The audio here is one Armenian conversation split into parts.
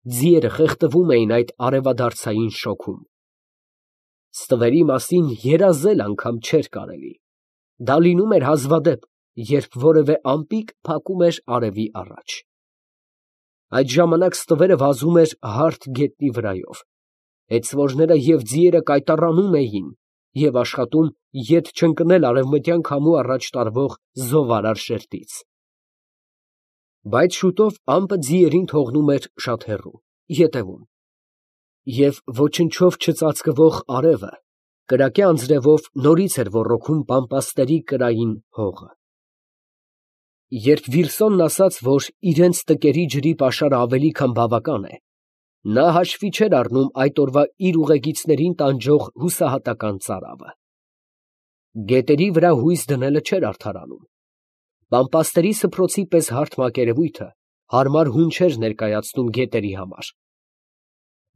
Ձիերը խեղդվում էին այդ արևադարձային շոգում։ Ստվերի մասին երազել անգամ չէր կարելի. դա լինում էր հազվադեպ, երբ որևէ ամպիկ փակում էր արևի առաջ։ Այդ ժամանակ ստվերը վազում էր հարթ գետնի վրայով, հեծվորները և ձիերը կայտառանում էին և աշխատում ետ չընկնել արևմտյան քամու առաջ տարվող զովարար շերտից։ Բայց շուտով ամպը ձիերին թողնում էր շատ հեռու, ետևում, և ոչնչով չծածկվող արևը կրակե անձրևով նորից էր ոռոգում բամպաստերի կրային հողը։ Երբ Վիլսոնն ասաց, որ իրենց տկերի ջրի պաշարը ավելի քան բավական է, նա հաշվի չէր առնում այդ օրվա իր ուղեկիցներին տանջող հուսահատական ծարավը։ Գետերի վրա հույս դնելը չէր արդարանում։ Բամպաստերի սփռոցի պես հարթ մակերևույթը հարմար հուն չէր ներկայացնում գետերի համար։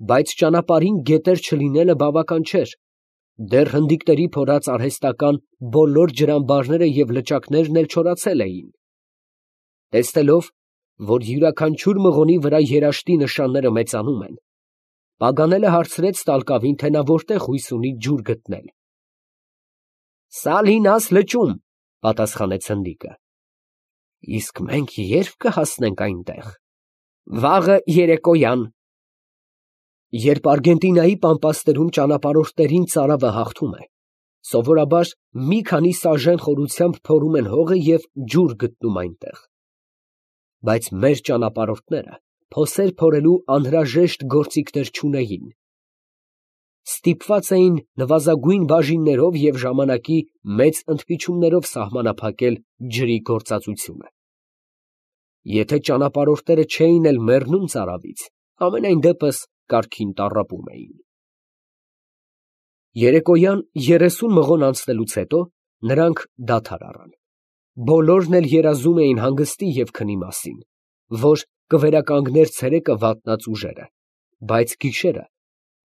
Բայց ճանապարհին գետեր չլինելը բավական չէր, դեռ հնդիկների փորած արհեստական բոլոր ջրամբարները և լճակներն էլ չորացել էին։ Տեսնելով, որ յուրաքանչյուր մղոնի վրա երաշտի նշանները մեծանում են, Պագանելը հարցրեց տալկավին, թե նա որտեղ հույս ունի ջուր գտնել։ «Սալինաս լճում», պատասխանեց հնդիկը։ «Իսկ մենք ե՞րբ կհասնենք այնտեղ»։ «Վաղը երեկոյան»։ Երբ Արգենտինայի պամպաստերում ճանապարհորդներին ծարավը հաղթում է, սովորաբար մի քանի սաժեն խորությամբ փորում են հողը և ջուր գտնում այնտեղ։ Բայց մեր ճանապարհորդները փոսեր փորելու անհրաժեշտ գործիքներ չունեին։ Ստիպված էին նվազագույն բաժիններով և ժամանակի մեծ ընդմիջումներով սահմանափակել ջրի գործածությունը։ Եթե ճանապարհորդները չէին էլ մեռնում ծարավից, համենայն դեպս կարգին տառապում էին։ Երեկոյան 30 մղոն անցնելուց հետո նրանք դադար առան։ Բոլորն էլ երազում էին հանգստի և քնի մասին, որ կվերականգներ ցերեկը վատնած ուժերը, բայց գիշերը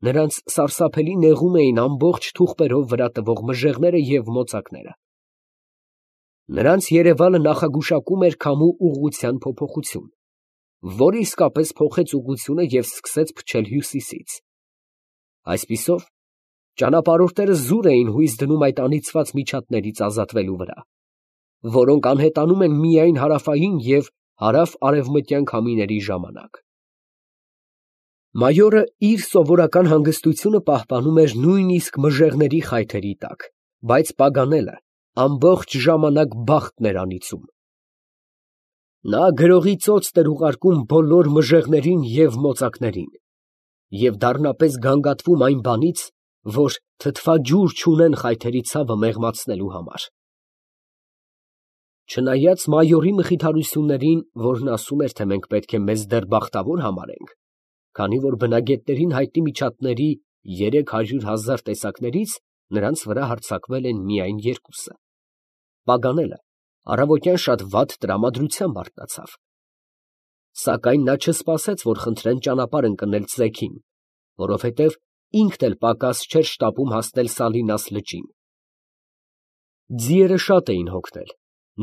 նրանց սարսափելի նեղում էին ամբողջ թուղթերով վրա տվող մժեղները և մոծակները։ Նրանց երևալը նախագուշակում էր քամու ուղղության փոփոխություն, որը իսկապես փոխեց ուղղությունը և սկսեց փչել հյուսիսից։ Այսպիսով, ճանապարհորդները զուր էին հույս դնում այդ անիծված միջատներից ազատվելու վրա, որոնք անհետանում են միայն հարավային և հարավ֊արևմտյան քամիների ժամանակ։ Մայորը իր սովորական հանգստությունը պահպանում էր նույնիսկ մժեղների խայթերի տակ, բայց Պագանելը ամբողջ ժամանակ բախտն էր անիծում։ Նա գրողի ծոցն էր ուղարկում բոլոր մժեղներին և մոծակներին և դառնապես գանգատվում այն բանից, որ թթվաջուր չունեն խայթերի ցավը մեղմացնելու համար։ Չնայած մայորի մխիթարություններին, որն ասում էր, թե մենք պետք է մեզ դեռ բախտավոր համարենք, քանի որ բնագետներին հայտնի միջատների 300,000 տեսակներից նրանց վրա հարձակվել են միայն 2-ը, Պագանելը առավոտյան շատ վատ տրամադրությամբ արթնացավ։ Սակայն նա չսպասեց, որ խնդրեն ճանապարհ ընկնել ծեքին, որովհետև ինքն էլ պակաս չէր շտապում հասնել Սալինաս լճին։ Ձիերը շատ էին հոգնել,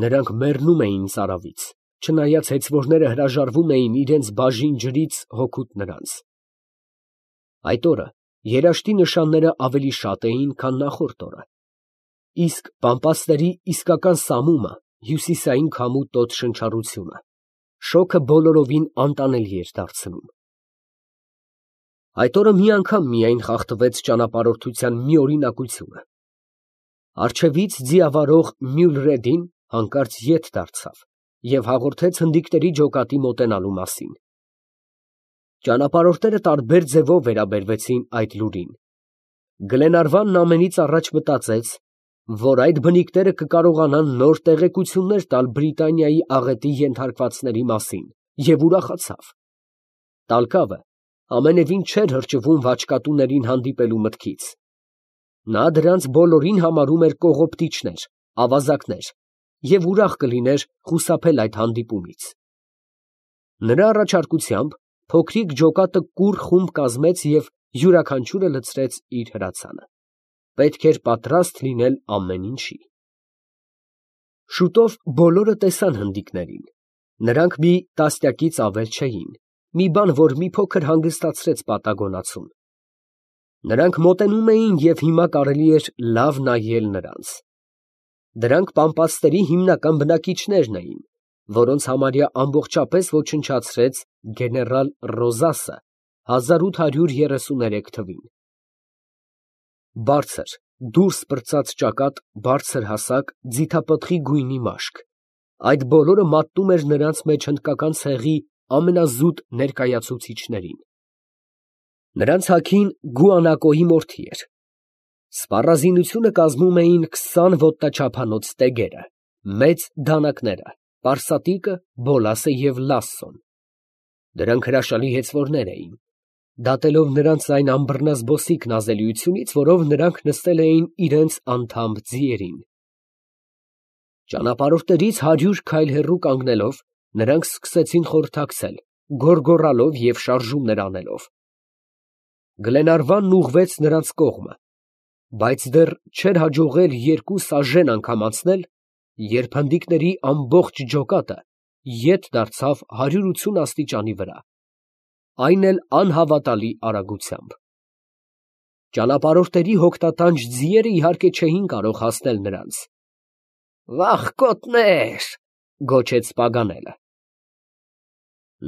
նրանք մեռնում էին ծարավից, չնայած հեծվորները հրաժարվում էին իրենց բաժին ջրից հօգուտ նրանց։ Այդ օրը երաշտի նշանները ավելի շատ էին, քան նախորդ օրը, իսկ բամպաստերի իսկական սամումը, հյուսիսային քամու տոտ շնչառությունը, շոգը բոլորովին անտանելի էր դարձնում։ Այդ օրը մի անգամ միայն խախտվեց ճանապարհորդության մի օրինակությունը։ Առջևից ձիավարող Մյուլրեդին հանկարծ ետ դարձավ և հաղորդեց հնդիկների ջոկատի մոտենալու մասին։ Ճանապարհորդները տարբեր ձևով վերաբերվեցին այդ լուրին։ Գլենարվանն ամենից առաջ մտածեց, որ այդ բնիկները կկարողանան նոր տեղեկություններ տալ Բրիտանիայի աղետի ենթարկվածների մասին և ուրախացավ։ Տալկավը ամենևին չէր հրճվում վաճկատուներին հանդիպելու մտքից։ Նա դրանց բոլորին համարում էր կողոպտիչներ, ավազակներ և ուրախ կլիներ խուսափել այդ հանդիպումից։ Նրա առաջարկությամբ փոքրիկ ջոկատը կուռ խումբ կազմեց և յուրաքանչյուրը լցրեց իր հրացանը։ Պետք էր պատրաստ լինել ամեն ինչի։ Շուտով բոլորը տեսան հնդիկներին. նրանք մի տասնյակից ավել չէին, մի բան, որ մի փոքր հանգստացրեց պատագոնացուն։ Նրանք մոտենում էին և հիմա կարելի էր լավ նայել նրանց։ Դրանք պամպասների հիմնական բնակիչներն էին, որոնց համարյա ամբողջապես ոչնչացրեց գեներալ Ռոզասը 1833 թվին։ Բարձր, դուրս պրծած ճակատ, բարձր հասակ, ձիթապտղի գույնի մաշկ, այդ բոլորը մատնում էր նրանց մեջ հնդկական ցեղի ամենազուտ ներկայացուցիչներին։ Նրանց հագին Գուանակոյի մորթի էր։ Սպառազինությունը կազմում էին 20 ոտնաչափանոց տեգերը, մեծ դանակները, պարսատիկը, բոլասը և լասսոն։ Դրանք հրաշալի հեծվորներ էին, դատելով նրանց այն անբռնազբոսիկ նազելիությունից, որով նրանք նստել էին իրենց անթամբ ձիերին։ Ճանապարհորդներից 100 քայլ հեռու կանգնելով, նրանք սկսեցին խորհրդակցել, գոռգոռալով և շարժումներ անելով։ Գլենարվանն ուղղվեց նրանց կողմը, բայց դեռ չէր հաջողել 2 սաժեն անգամ անցնել, երբ հնդիկների ամբողջ ջոկատը ետ դարձավ 180 աստիճանի վրա, այն էլ անհավատալի արագությամբ։ Ճանապարհորդների հոգնատանջ ձիերը իհարկե չէին կարող հասնել նրանց։ «Վախկոտներ», գոչեց Պագանելը։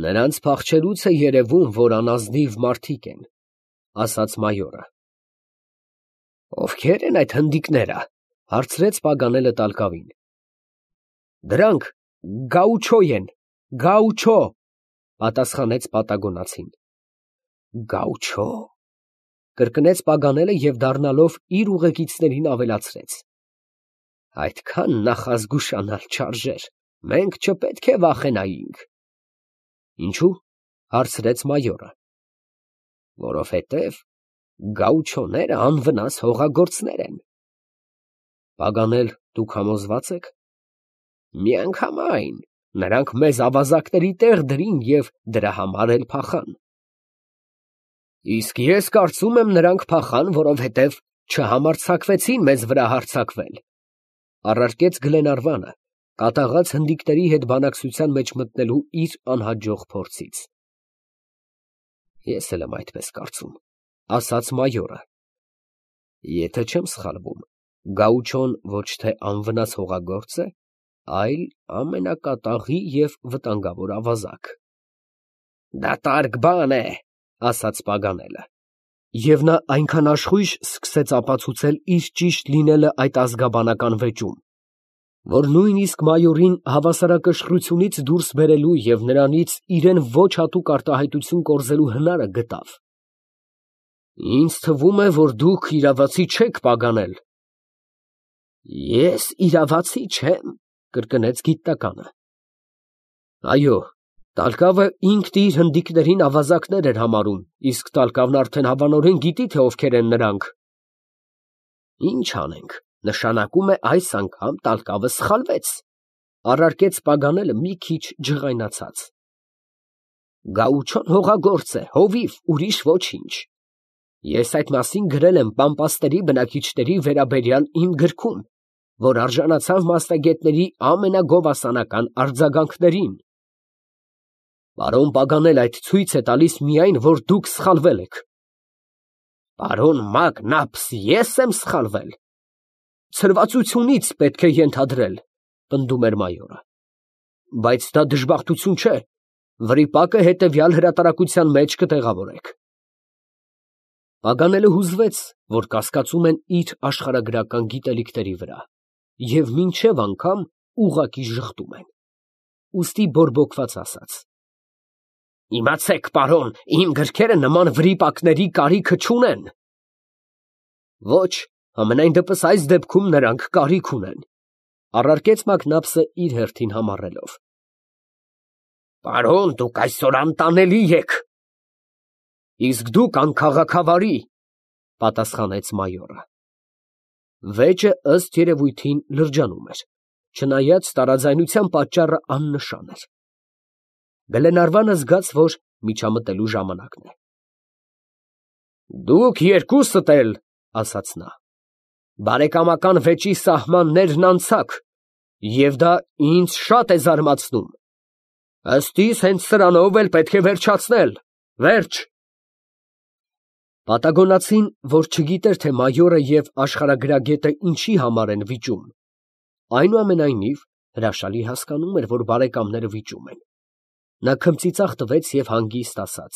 «Նրանց փախչելուց է երևում, որ անազնիվ մարդիկ են», ասաց մայորը։ «Ովքե՞ր են այդ հնդիկները», հարցրեց Պագանելը տալկավին։ «Դրանք գաուչո են, գաուչո», պատասխանեց պատագոնացին։ «Գաուչո», կրկնեց Պագանելը և դառնալով իր ուղեկիցներին ավելացրեց. «Այդքան նախազգուշանալ չարժեր, մենք չպետք է վախենայինք»։ «Ինչո՞ւ», հարցրեց մայորը։ «Որովհետև գաուչոները անվնաս հողագործներ են»։ «Պագանել, դուք համոզվա՞ծ եք»։ «Միանգամայն, նրանք մեզ ավազակների տեղ դրին և դրա համար էլ փախան»։ «Իսկ ես կարծում եմ, նրանք փախան, որովհետև չհամարձակվեցին մեզ վրա հարձակվել», առարկեց Գլենարվանը, կատաղած հնդիկների հետ բանակցության մեջ մտնելու իր անհաջող փորձից։ «Ես էլ եմ այդպես կարծում», ասաց մայորը։ «Եթե չեմ սխալվում, գաուչոն ոչ թե անվնաս հողագործ է, այլ ամենակատաղի և վտանգավոր ավազակ»։ «Դատարկ բան է», ասաց Պագանելը։ Եվ նա այնքան աշխույժ սկսեց ապացուցել իր ճիշտ լինելը այդ ազգաբանական վեճում, որ նույնիսկ մայորին հավասարակշռությունից դուրս բերելու և նրանից իրան ոչ հատուկ արտահայտություն կորզելու հնարը գտավ։ «Ինձ թվում է, որ դուք իրավացի չեք, Պագանել»։ «Ես իրավացի չեմ», կրկնեց գիտնականը։ «Այո, տալկավը ինքն իր հնդիկներին ավազակներ էր համարում, իսկ տալկավն արդեն հավանորեն գիտի, թե ովքեր են նրանք»։ «Ինչ անենք, նշանակում է այս անգամ տալկավը սխալվեց», առարկեց Պագանելը մի քիչ ջղայնացած։ «Գաուչոն հողագործ է, հովիվ, ուրիշ ոչինչ։ Ես այդ մասին գրել եմ պամպասների բնակիչների վերաբերյալ իմ գրքում, որ արժանացավ մասնագետների ամենագովասանական արձագանքներին։ Պարոն Պագանել, այդ ցույց է տալիս միայն, որ դուք սխալվել եք»։ «Պարոն Մակնապս, ես եմ սխալվել»։ «Ցրվածությունից պետք է ենթադրել», պնդում էր մայորը։ «Բայց դա դժբախտություն չէ, վրիպակը հետևյալ հրատարակության մեջ կտեղավորեք»։ Պագանելը հուզվեց, որ կասկածում են իր աշխարհագրական գիտելիքների վրա, և մինչև անգամ ուղղակի ժխտում են, ուստի բորբոքված ասաց. «Իմացեք, պարոն, իմ գրքերը նման վրիպակների կարիքը չունեն»։ «Ոչ, համենայն դեպս այս դեպքում նրանք կարիք ունեն», առարկեց Մակնապսը իր հերթին համառելով։ «Պարոն, դուք այսօր անտանելի եք»։ «Իսկ դուք անքաղաքավարի», պատասխանեց մայորը։ Վեճը ըստ երևույթին լրջանում էր, չնայած տարաձայնության պատճառը աննշան էր։ Գլենարվանը զգաց, որ միջամտելու ժամանակն է։ «Դուք երկուսդ էլ», ասաց նա, «բարեկամական վեճի սահմաններն անցաք, և դա ինձ շատ է զարմացնում։ Ըստ իս հենց սրանով էլ պետք է վերջացնել, վերջ։ Պատագոնացին, որ չգիտեր, թե մայորը և աշխարհագրագետը ինչի համար են վիճում, այնուամենայնիվ հրաշալի հասկանում էր, որ բարեկամները վիճում են. նա քմծիծաղ տվեց և հանգիստ ասաց.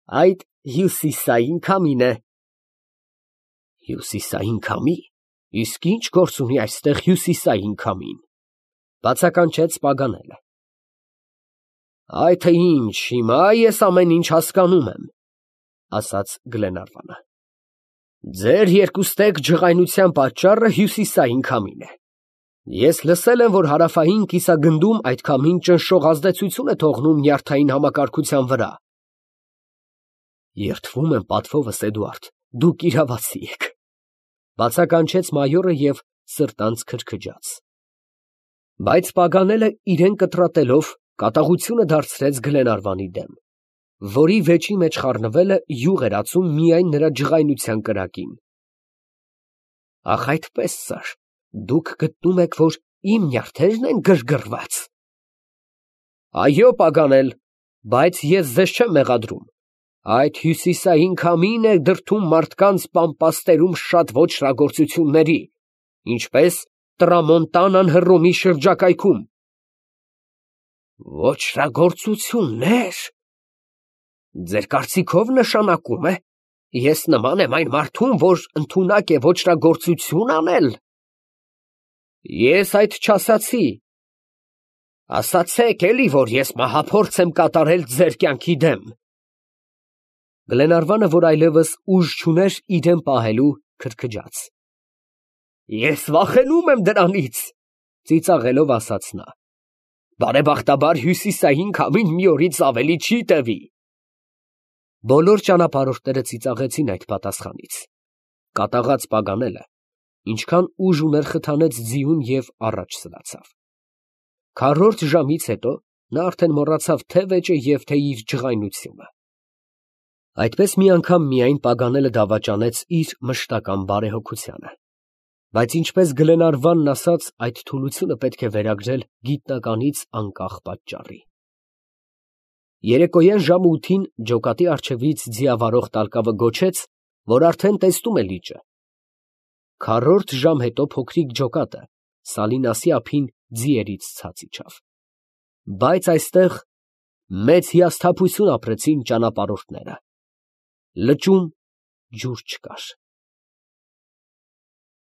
այդ հյուսիսային քամին է։ Հյուսիսային քամի, իսկ ի՞նչ գործ ունի այստեղ հյուսիսային քամին, բացականչեց Պագանելը։ Այ թե ինչ, հիմա ես ամեն ինչ հասկանում եմ, ասաց Գլենարվանը։ Ձեր երկուստեք ջղայնության պատճառը հյուսիսային քամին է։ Ես լսել եմ, որ հարավային կիսագնդում այդ քամին ճնշող ազդեցություն է թողնում նյարդային համակարգության վրա։ Երդվում եմ պատվովս, Էդուարդ, դուք իրավացի եք, բացականչեց մայորը և սրտանց քրքջաց։ Բայց Պագանելը իրեն կտրատելով կատաղությունը դարձրեց Գլենարվանի դեմ, որի վեճի մեջ խառնվելը յուղ էր ածում միայն նրա ջղայնության կրակին։ Ախ, այդպես, սըր, դուք գտնում եք, որ իմ նյարդերն են գրգռված։ Այո, Պագանել, բայց ես ձեզ չեմ մեղադրում։ Այդ հյուսիսային քամին է դրդում մարդկանց պամպաստերում շատ ոճրագործությունների, ինչպես Տրամոնտանան Հռոմի շրջակայքում։ Ոճրագործություննե՞ր։ Ձեր կարծիքով նշանակում է, ես նման եմ այն մարդուն, որ ընդունակ է ոճրագործություն անել։ Ես այդ չասացի։ Ասացեք էլի, որ ես մահափորձ եմ կատարել ձեր կյանքի դեմ։ Գլենարվանը, որ այլևս ուժ չուներ իրեն պահելու, քրքջաց։ Ես վախենում եմ դրանից, ծիծաղելով ասաց նա։ Բարեբախտաբար հյուսիսային քամին մի օրից ավելի չի տևի։ Բոլոր ճանապարհորդները ծիծաղեցին այդ պատասխանից։ Կատաղած Պագանելը, ինչքան ուժ ուներ խթանեց ձիուն և առաջ սլացավ։ Քառորդ ժամից հետո նա արդեն մոռացավ թե վեճը և թե իր ջղայնությունը։ Այդպես մի անգամ միայն Պագանելը դավաճանեց իր մշտական բարեհոգությանը, բայց ինչպես Գլենարվանն ասաց, այդ թուլությունը պետք է վերագրել գիտնականից անկախ պատճառի։ Երեկոյան ժամը 8-ին ջոկատի առջևից ձիավարող տալկավը գոչեց, որ արդեն տեսնում է լիճը։ Քառորդ ժամ հետո փոքրիկ ջոկատը Սալինասի ափին ձիերից ցած իջավ։ Բայց այստեղ մեծ հիասթափություն ապրեցին ճանապարհորդները։ Լճում ջուր չկար։